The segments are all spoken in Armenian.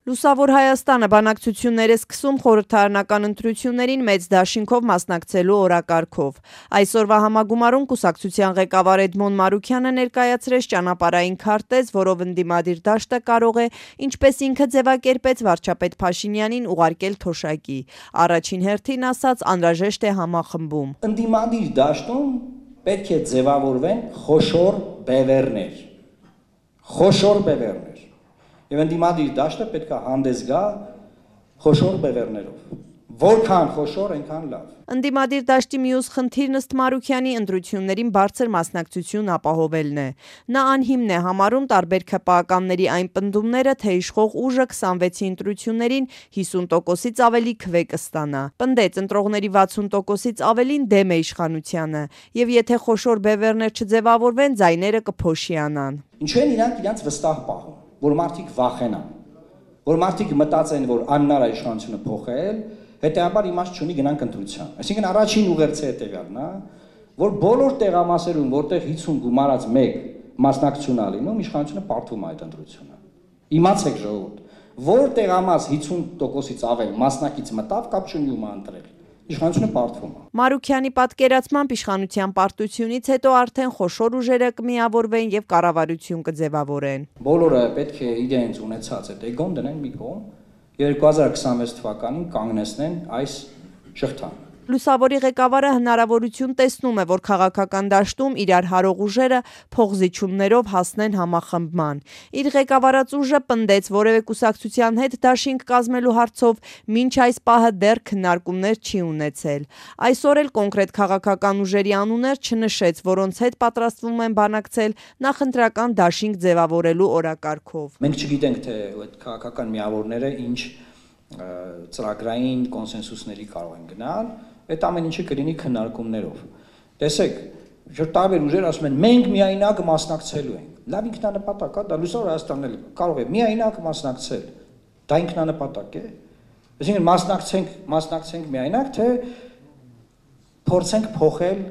Լուսավոր Հայաստանը բանակցություններ է սկսում խորհրդարանական ընտրություններին մեծ դաշինքով մասնակցելու օրակարգով։ Այսօրվա համագումարում կուսակցության ղեկավար Էդմոն Մարուքյանը ներկայացրեց ճանապարհային քարտեզ, որով ընդդիմադիր դաշտը կարող է, ինչպես ինքը ձևակերպեց վարչապետ Փաշինյանին, ուղարկել թոշակի։ Առաջին հերթին ասաց, անհրաժեշտ է համախմբում։ Ընդդիմադիր դաշտում պետք է ձևավորվեն խոշոր բևեռներ։ Եվ ընդդիմադիր դաշտը պետք է հանդես գա խոշոր բևեռներով։ Որքան խոշոր, այնքան լավ։ Ընդդիմադիր դաշտի մյուս խնդիրն ըստ Մարուքյանի ընտրություններին բարձր մասնակցություն ապահովելն է։ Նա անհիմն է համարում տարբեր ՔՊԱ-կանների այն պնդումները, թե իշխող ուժը 26-ի ընտրություններին 50%-ից ավելի քվե կստանա։ Պնդեց, ընտրողների 60%-ից ավելին դեմ է իշխանությանը, եւ եթե խոշոր բևեռներ չձևավորվեն, ձայները կփոշիանան։ Ինչու են իրանք իրենց վստահ պահում, որ մարդիկ վախենան, որ մարդիկ մտածեն, որ անհնար է իշխանությունը փոխել, հետեւաբար իմաստ չունի գնանք ընտրության։ Այսինքն առաջին ուղերձը հետեւյալն է, որ բոլոր տեղամասերում, որտեղ 50 գումարած 1 մասնակցություն ա լինում, իշխանությունը պարտվում է այդ ընտրությունը։ Իմացեք ժողովուրդ, որ տեղամաս 50%-ից ավել մասնակից մտավ, կապ չունի ում ընտրել։ Իշխանությունը պարտվում է։ Մարուքյանի պատկերացմամբ իշխանության պարտությունից հետո արդեն խոշոր ուժերը կմիավորվեն եւ կառավարություն կձևավորեն։ Բոլորը պետք է իրենց ունեցած այդ էգոն դնեն մի կողմ, 2026 թվականին կանգնեցնեն այս շղթան։ Լուսավորի ղեկավարը հնարավորություն տեսնում է, որ քաղաքական դաշտում իրար հարող ուժերը փողզիչումներով հասնեն համախմբման։ Իր ղեկավարած ուժը պնդեց, որևէ կուսակցության հետ դաշինք կազմելու հարցով մինչ այս պահը դեռ քննարկումներ չի ունեցել։ Այսօր էլ կոնկրետ քաղաքական ուժերի անուններ չնշեց, որոնց հետ պատրաստվում են բանակցել նախընտրական դաշինք ձևավորելու օրակարգով։ Մենք չգիտենք, թե այդ քաղաքական միավորները ինչ ծրագրային կոնսենսուսների կարող են գնալ, այդ ամեն ինչը կլինի քննարկումներով։ Տեսեք, տարբեր ուժեր ասում են, մենք միայնակ մասնակցելու ենք։ Լավ ինքնանպատակ է, դա Լուսավոր Հայաստանն էլ կարող է միայնակ մասնակցել։ Դա ինքնանպատակ է։ Այսինքն մասնակցենք միայնակ, թե փորձենք փոխել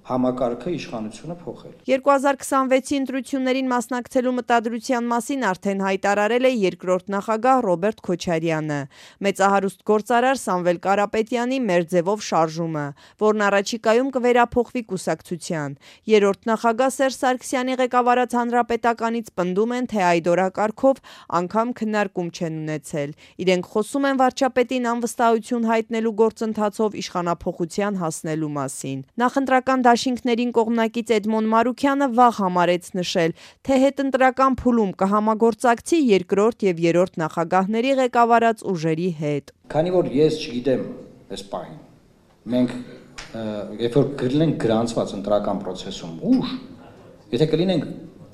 համակարգը, իշխանությունը փոխել։ 2026-ի ընտրություններին մասնակցելու մտադրության մասին արդեն հայտարարել է երկրորդ նախագահ Ռոբերտ Քոչարյանը։ Մեծահարուստ գործարար Սամվել Կարապետյանի մեր ձևով շարժումը, որն առաջիկայում կվերափոխվի կուսակցության։ Երրորդ նախագահ Սերժ Սարգսյանի ղեկավարած Հանրապետականից պնդում են, թե այդ օրակարգով անգամ քննարկում չեն ունեցել։ Իրենք խոսում են վարչապետին անվստահություն հայտնելու գործընթացով իշխանափոխության հասնելու մասին։ Նախընտրական դաշինքներին կողմնակից Էդմոն Մարուքյանը վաղ համարեց նշել, թե հետընտրական փուլում կհամագործակցի երկրորդ եւ երրորդ նախագահների ղեկավարած ուժերի հետ։ Քանի որ ես չգիտեմ այս պահին, մենք երբ որ կլինենք գրանցված ընտրական process-ում ուժ, եթե կլինենք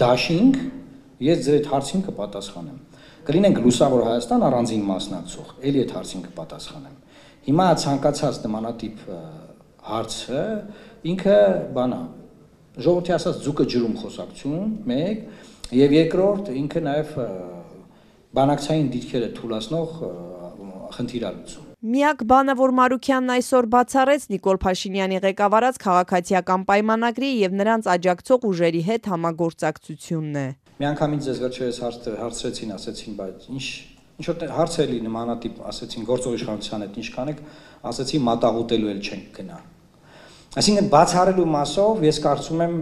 դաշինք, ես ձեր այդ հարցին կպատասխանեմ։ Կլինենք Լուսավոր Հայաստան առանձին մասնակցող, ելի այդ հարցին կպատասխանեմ։ Հիմա ցանկացած նմանատիպ հարցը ինքը բանա ժողովրդի ասած ձուկը ջրում խոսակցություն, մեկ, եւ երկրորդ ինքը նաեւ բանակցային դիրքերը թույլատնող խնդիրալուծում։ Միակ բանը, որ Մարուքյանն այսօր բացառեց Նիկոլ Փաշինյանի ղեկավարած քաղաքացիական պայմանագրի եւ նրանց աջակցող ուժերի հետ համագործակցությունն է։ Միանգամից ձեզ վերջերս հարցրեցին, ասեցին, բայց ինչ որ հարց էլի նմանատիպ ասեցին գործող իշխանության հետ ինչ կանեք, ասեցի մատաղուտելու էլ չենք գնա։ Այսինքն բացառելու մասով ես կարծում եմ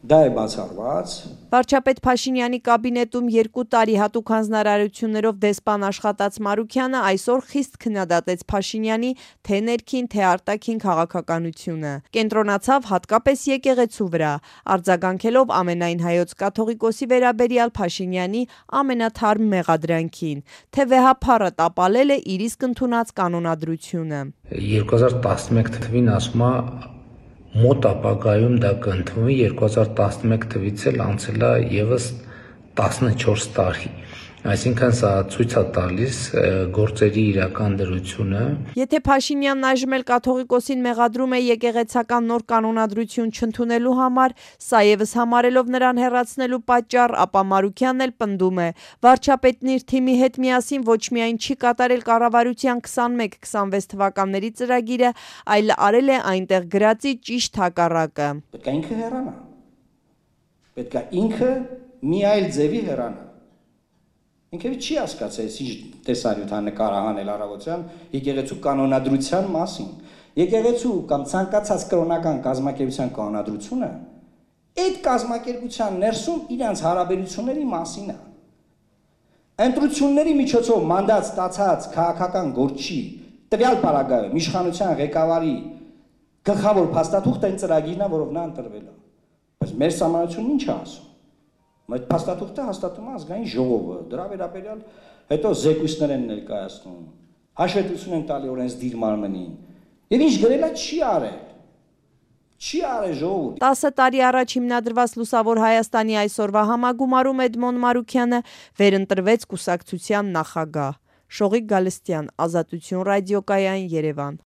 դա է բացառված։ Վարչապետ Փաշինյանի կաբինետում 2 տարի հատուկ հանձնարարություններով դեսպան աշխատած Մարուքյանը այսօր խիստ քննադատեց Փաշինյանի թե ներքին, թե արտաքին քաղաքականությունը։ Կենտրոնացավ հատկապես եկեղեցու վրա, արձագանքելով ամենայն հայոց կաթողիկոսի վերաբերյալ Փաշինյանի ամենաթարմ մեղադրանքին, թե վեհափառը տապալել է իր իսկ ընդունած կանոնադրությունը։ 2011 թվին ասում է մոտ ապագայում դա կընդունվի, 2011 թվից էլ անցել է եւս 14 տարի։ Այսինքն սա ցույց է տալիս գործերի իրական դրությունը։ Եթե Փաշինյանն այժմ էլ կաթողիկոսին մեղադրում է եկեղեցական նոր կանոնադրություն չընդունելու համար, սա եւս համարելով նրան հեռացնելու պատճառ, ապա Մարուքյանն էլ պնդում է, վարչապետն իր թիմի հետ միասին ոչ միայն չի կատարել կառավարության 21-26 թվականների ծրագիրը, այլ արել է այնտեղ գրածի ճիշտ հակառակը։ Պետք է ինքը հեռանա։ Պետք է ինքը մի այլ ձևի հեռանա։ Ինքը չի հասկացել ինչ տեսարյութ նկարահանել առավոտյան եկեղեցու կանոնադրության մասին։ Եկեղեցու կամ ցանկացած կրոնական կազմակերպության կանոնադրությունը այդ կազմակերպության ներսում իրանց հարաբերությունների մասին է։ Ընտրությունների միջոցով մանդատ ստացած քաղաքական գործի տվյալ պարագայում իշխանության ղեկավարի գլխավոր փաստաթուղթը այն ծրագիրն է, որով նա ընտրվել է։ Բայց մեր համանությունն ինչ է ասում։ Այդ փաստաթուղթը հաստատում է ազգային ժողովը, դրա վերաբերյալ հետո զեկույցներ են ներկայացնում, հաշվետվություն են տալի օրենսդիր մարմնին։ Եվ ինչ գրել է չի արել։ Չի արել ժողովուրդ։ 10 տարի առաջ հիմնադրված Լուսավոր Հայաստանի այսօրվա համագումարում Էդմոն Մարուքյանը վերընտրվեց կուսակցության նախագահ։ Շողիկ Գալստյան, Ազատություն ռադիոկայան, Երևան։